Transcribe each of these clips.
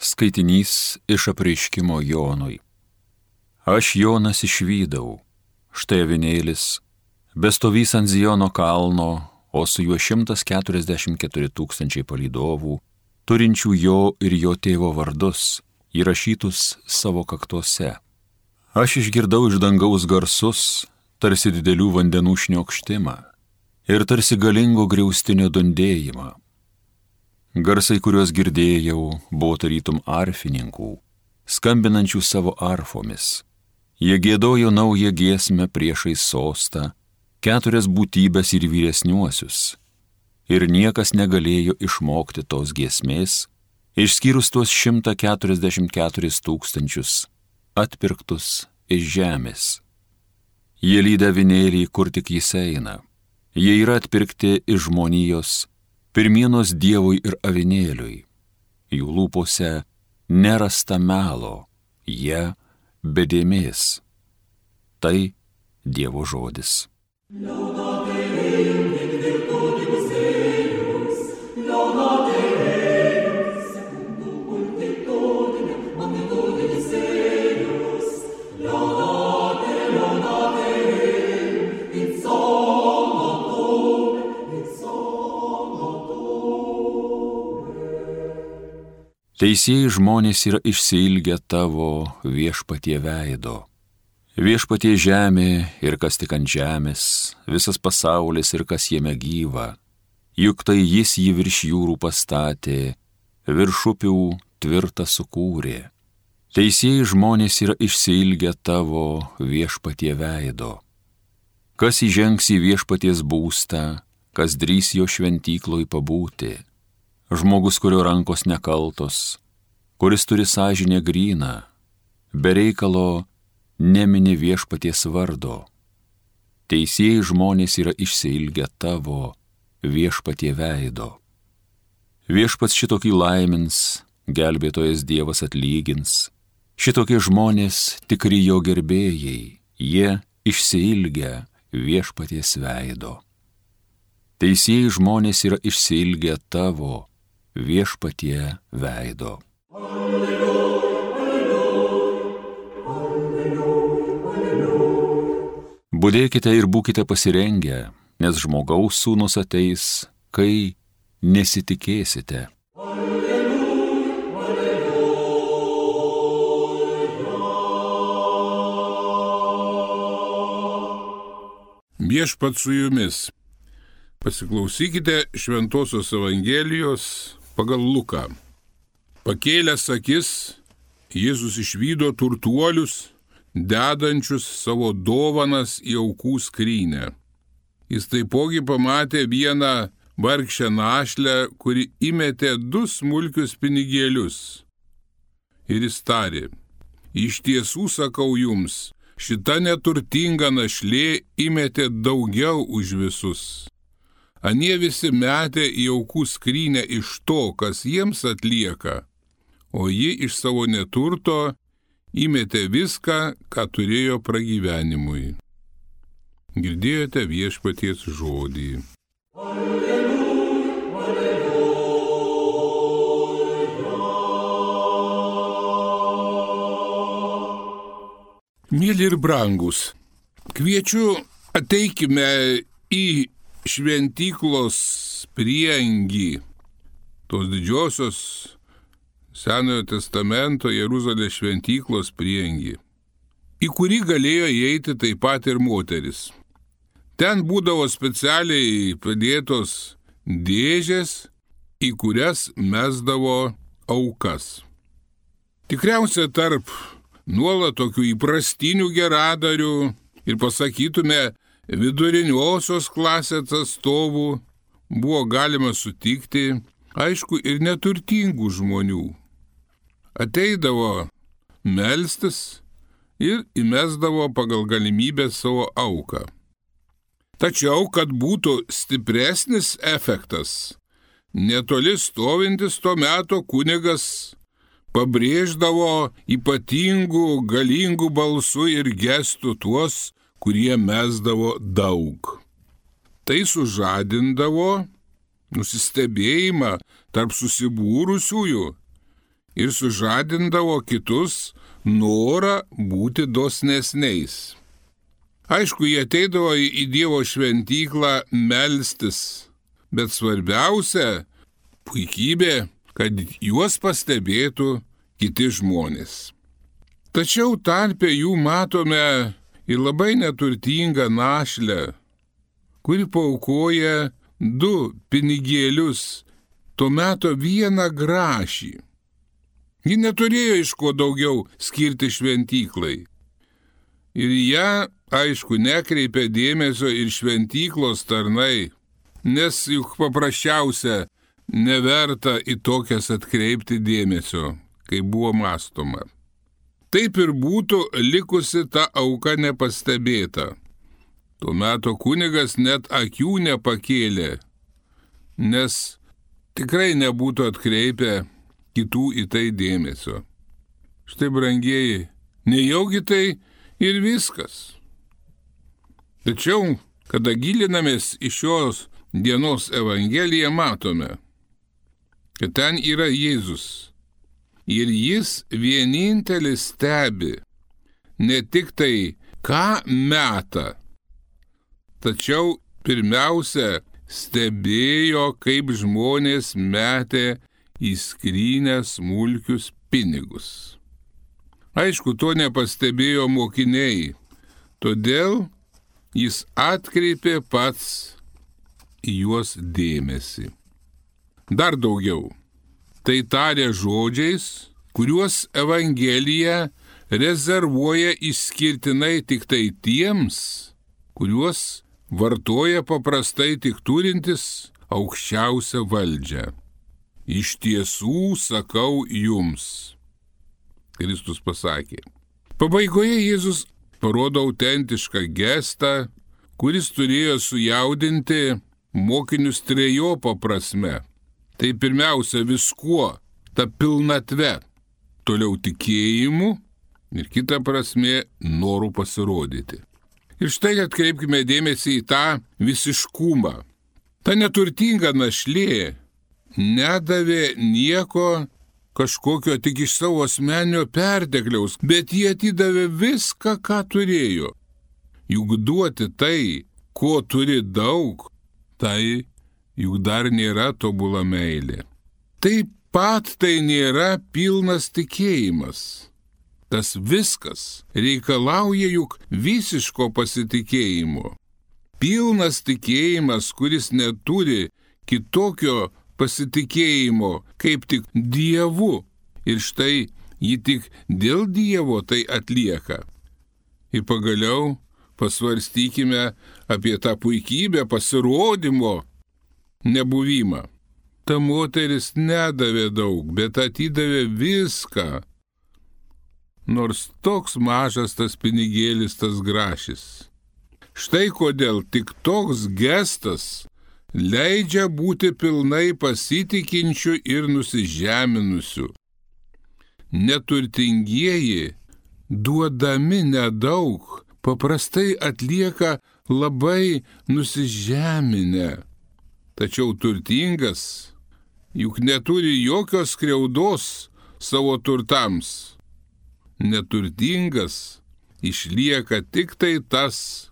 Skaitinys iš apreiškimo Jonui. Aš Jonas išvydau, štai avinėlis, bestovys ant Ziono kalno, o su juo 144 000 palydovų, turinčių jo ir jo tėvo vardus, įrašytus savo kaktuose. Aš išgirdau iš dangaus garsus, tarsi didelių vandenų šniokštimą ir tarsi galingo griaustinio dundėjimą. Garsai, kuriuos girdėjau, buvo tarytum arfininkų, skambinančių savo arfomis. Jie giedojo naują giesmę priešais sostą, 4 būtybės ir vyresniuosius. Ir niekas negalėjo išmokti tos giesmės, išskyrus tuos 144 000 atpirktus iš žemės. Jie lydi avinėlį, kur tik jis eina. Jie yra atpirkti iš žmonijos, pirmienos Dievui ir avinėliui. Jų lūpose nerasta melo, jie be dėmės. Tai Dievo žodis. Teisieji žmonės yra išsiilgę tavo viešpatie veido. Viešpatie žemė ir kas tik ant žemės, visas pasaulis ir kas jame gyva. Juk tai jis jį virš jūrų pastatė, virš upių tvirtą sukūrė. Teisieji žmonės yra išsiilgę tavo viešpatie veido. Kas įžengs į viešpaties būstą, kas drįs jo šventykloj pabūti. Žmogus, kurio rankos nekaltos, kuris turi sąžinę gryną, be reikalo nemini viešpaties vardo. Teisieji žmonės yra išsiilgę tavo viešpatie veido. Viešpats šitokį laimins, gelbėtojas Dievas atlygins. Šitokie žmonės tikri jo gerbėjai, jie išsiilgę viešpaties veido. Teisieji žmonės yra išsiilgę tavo viešpatie veido. Budėkite ir būkite pasirengę, nes žmogaus sūnus ateis, kai nesitikėsite. Viešpats su jumis. Pasiklausykite Šventosios Evangelijos pagal Luką. Pakėlęs akis, Jėzus išvydo turtuolius, dedančius savo dovanas į aukų skrynę. Jis taipogi pamatė vieną vargšę našlę, kuri įmetė 2 smulkius pinigėlius. Ir jis tarė: iš tiesų sakau jums, šita neturtinga našlė įmetė daugiau už visus. Anie visi metė į aukų skrynę iš to, kas jiems atlieka, o ji iš savo neturto įmetė viską, ką turėjo pragyvenimui. Girdėjote viešpaties žodį. Mėly ir brangus, kviečiu ateikime į šventyklos prieangį, tos didžiosios Senojo testamento Jeruzalės šventyklos prieangį, į kurį galėjo įeiti taip pat ir moteris. Ten būdavo specialiai padėtos dėžės, į kurias mesdavo aukas. Tikriausiai tarp nuolat tokių įprastinių geradarių ir pasakytume viduriniosios klasės atstovų buvo galima sutikti, aišku, ir neturtingų žmonių. Ateidavo melstis ir įmesdavo pagal galimybę savo auką. Tačiau, kad būtų stipresnis efektas, netoli stovintis to meto kunigas pabrėždavo ypatingų, galingų balsų ir gestų tuos, kurie mesdavo daug. Tai sužadindavo nusistebėjimą tarp susibūrusiųjų ir sužadindavo kitus norą būti dosnesniais. Aišku, jie ateidavo į Dievo šventyklą melstis, bet svarbiausia puikybė, kad juos pastebėtų kiti žmonės. Tačiau tarpe jų matome ir labai neturtingą našlę, kuri paaukoja 2 pinigėlius, tuo metu 1 grašį. Ji neturėjo iš ko daugiau skirti šventyklai. Ir ją, aišku, nekreipė dėmesio ir šventyklos tarnai, nes juk paprasčiausia neverta į tokias atkreipti dėmesio, kai buvo mąstoma. Taip ir būtų likusi ta auka nepastebėta. Tuo metu kunigas net akių nepakėlė, nes tikrai nebūtų atkreipę kitų į tai dėmesio. Štai, brangieji, nejaugi tai ir viskas. Tačiau, kada gilinamės į šios dienos Evangeliją, matome, kad ten yra Jėzus. Ir jis vienintelis stebi ne tik tai, ką meta, tačiau pirmiausia stebėjo, kaip žmonės metė į skrynę smulkius pinigus. Aišku, to nepastebėjo mokiniai, todėl jis atkreipė pats į juos dėmesį. Dar daugiau, tai tarė žodžiais, kuriuos Evangelija rezervuoja išskirtinai tik tai tiems, kuriuos vartoja paprastai tik turintis aukščiausią valdžią. Iš tiesų sakau jums, Kristus pasakė. Pabaigoje Jėzus parodo autentišką gestą, kuris turėjo sujaudinti mokinius trejopa prasme. Tai pirmiausia viskuo, ta pilnatve, toliau tikėjimu ir kita prasme noru pasirodyti. Ir štai atkreipkime dėmesį į tą visiškumą. Ta neturtinga našlė nedavė nieko kažkokio tik iš savo asmeninio pertekliaus, bet jie atidavė viską, ką turėjo. Juk duoti tai, ko turi daug, tai juk dar nėra tobula meilė. Taip pat tai nėra pilnas tikėjimas. Tas viskas reikalauja juk visiško pasitikėjimo. Pilnas tikėjimas, kuris neturi kitokio pasitikėjimo, kaip tik Dievu. Ir štai jį tik dėl Dievo tai atlieka. Ir pagaliau pasvarstykime apie tą puikybę pasirodymo nebuvimą. Ta moteris nedavė daug, bet atidavė viską. Nors toks mažas tas pinigėlis, tas grašis. Štai kodėl tik toks gestas leidžia būti pilnai pasitikinčių ir nusižeminusių. Neturtingieji, duodami nedaug, paprastai atlieka labai nusižeminę. Tačiau turtingas juk neturi jokios skriaudos savo turtams. Neturtingas išlieka tik tai tas,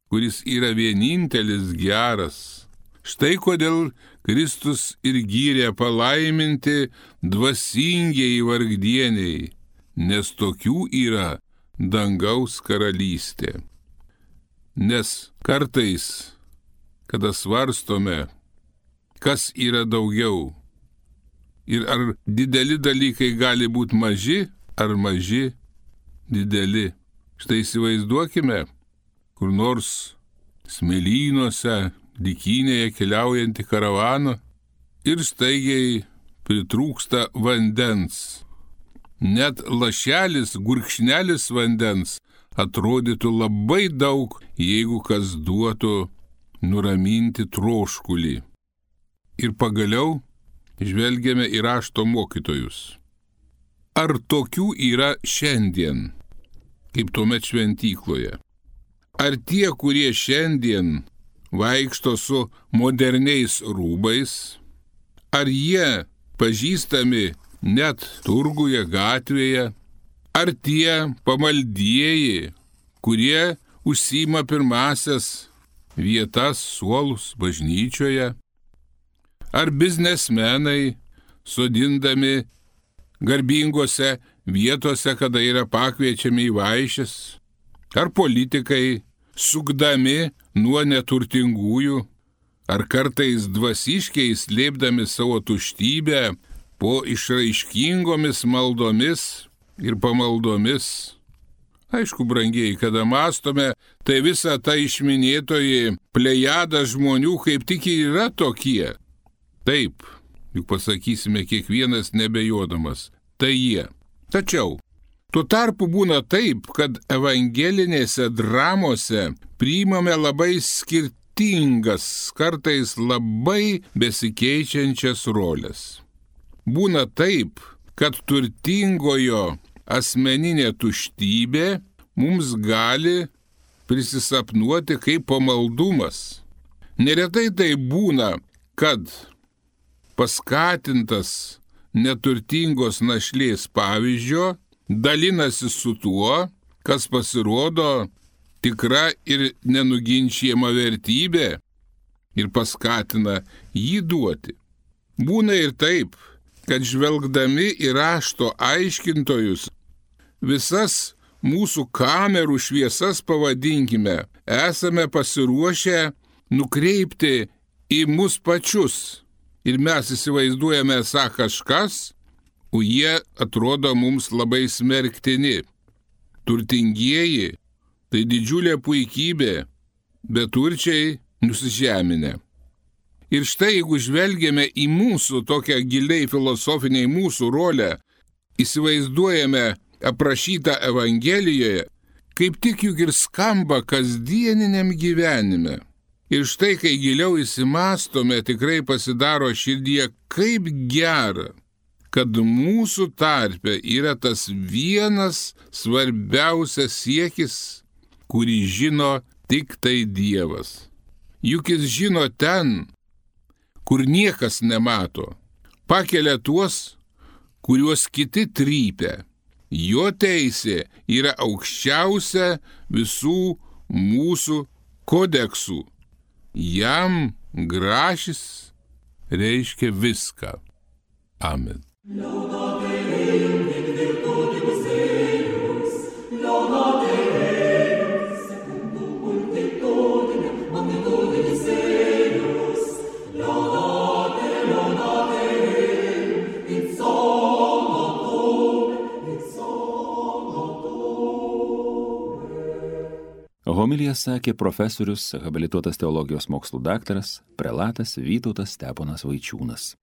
kuris yra vienintelis geras. Štai kodėl Kristus ir gyrė palaiminti dvasingieji vargdieniai, nes tokių yra dangaus karalystė. Nes kartais, kada svarstome, kas yra daugiau ir ar dideli dalykai gali būti maži, ar maži dideli. Štai įsivaizduokime, kur nors smėlynuose, dykynėje keliaujantį karavaną ir staigiai pritrūksta vandens. Net lašelis, gurkšnelis vandens atrodytų labai daug, jeigu kas duotų nuraminti troškulį. Ir pagaliau žvelgiame į rašto mokytojus. Ar tokių yra šiandien, kaip tuomet šventykloje? Ar tie, kurie šiandien vaikšto su moderniais rūbais, ar jie pažįstami net turguje, gatvėje, ar tie pamaldieji, kurie užsima pirmasias vietas, suolus bažnyčioje, ar biznesmenai, sodindami garbingose vietose, kada yra pakviečiami į vaišes, ar politikai, sukdami nuo neturtingųjų, ar kartais dvasiškiai slėpdami savo tuštybę po išraiškingomis maldomis ir pamaldomis. Aišku, brangieji, kada mąstome, tai visa ta išminėtoji plejada žmonių kaip tik ir yra tokie. Taip, juk pasakysime kiekvienas nebejodamas, tai jie. Tačiau, tuo tarpu būna taip, kad evangelinėse dramose priimame labai skirtingas, kartais labai besikeičiančias roles. Būna taip, kad turtingojo asmeninė tuštybė mums gali prisisapnuoti kaip pamaldumas. Neretai tai būna, kad paskatintas neturtingos našlės pavyzdžio dalinasi su tuo, kas pasirodo tikra ir nenuginčiama vertybė ir paskatina jį duoti. Būna ir taip, kad žvelgdami į rašto aiškintojus, visas mūsų kamerų šviesas pavadinkime, esame pasiruošę nukreipti į mus pačius. Ir mes įsivaizduojame esą kažkas, o jie atrodo mums labai smerktini. Turtingieji – tai didžiulė puikybė, beturčiai nusižeminę. Ir štai, jeigu žvelgiame į mūsų tokią giliai filosofiniai mūsų rolę, įsivaizduojame aprašytą Evangelijoje, kaip tik juk ir skamba kasdieniniam gyvenime. Ir štai, kai giliau įsimastome, tikrai pasidaro širdie, kaip gera, kad mūsų tarpe yra tas vienas svarbiausias siekis, kurį žino tik tai Dievas. Juk jis žino ten, kur niekas nemato, pakelia tuos, kuriuos kiti trypia. Jo teisė yra aukščiausia visų mūsų kodeksų. Jam grašis reiškia viską. Amen. Homiliją sakė profesorius, habilituotas teologijos mokslų daktaras, prelatas Vytautas Steponas Vaičiūnas.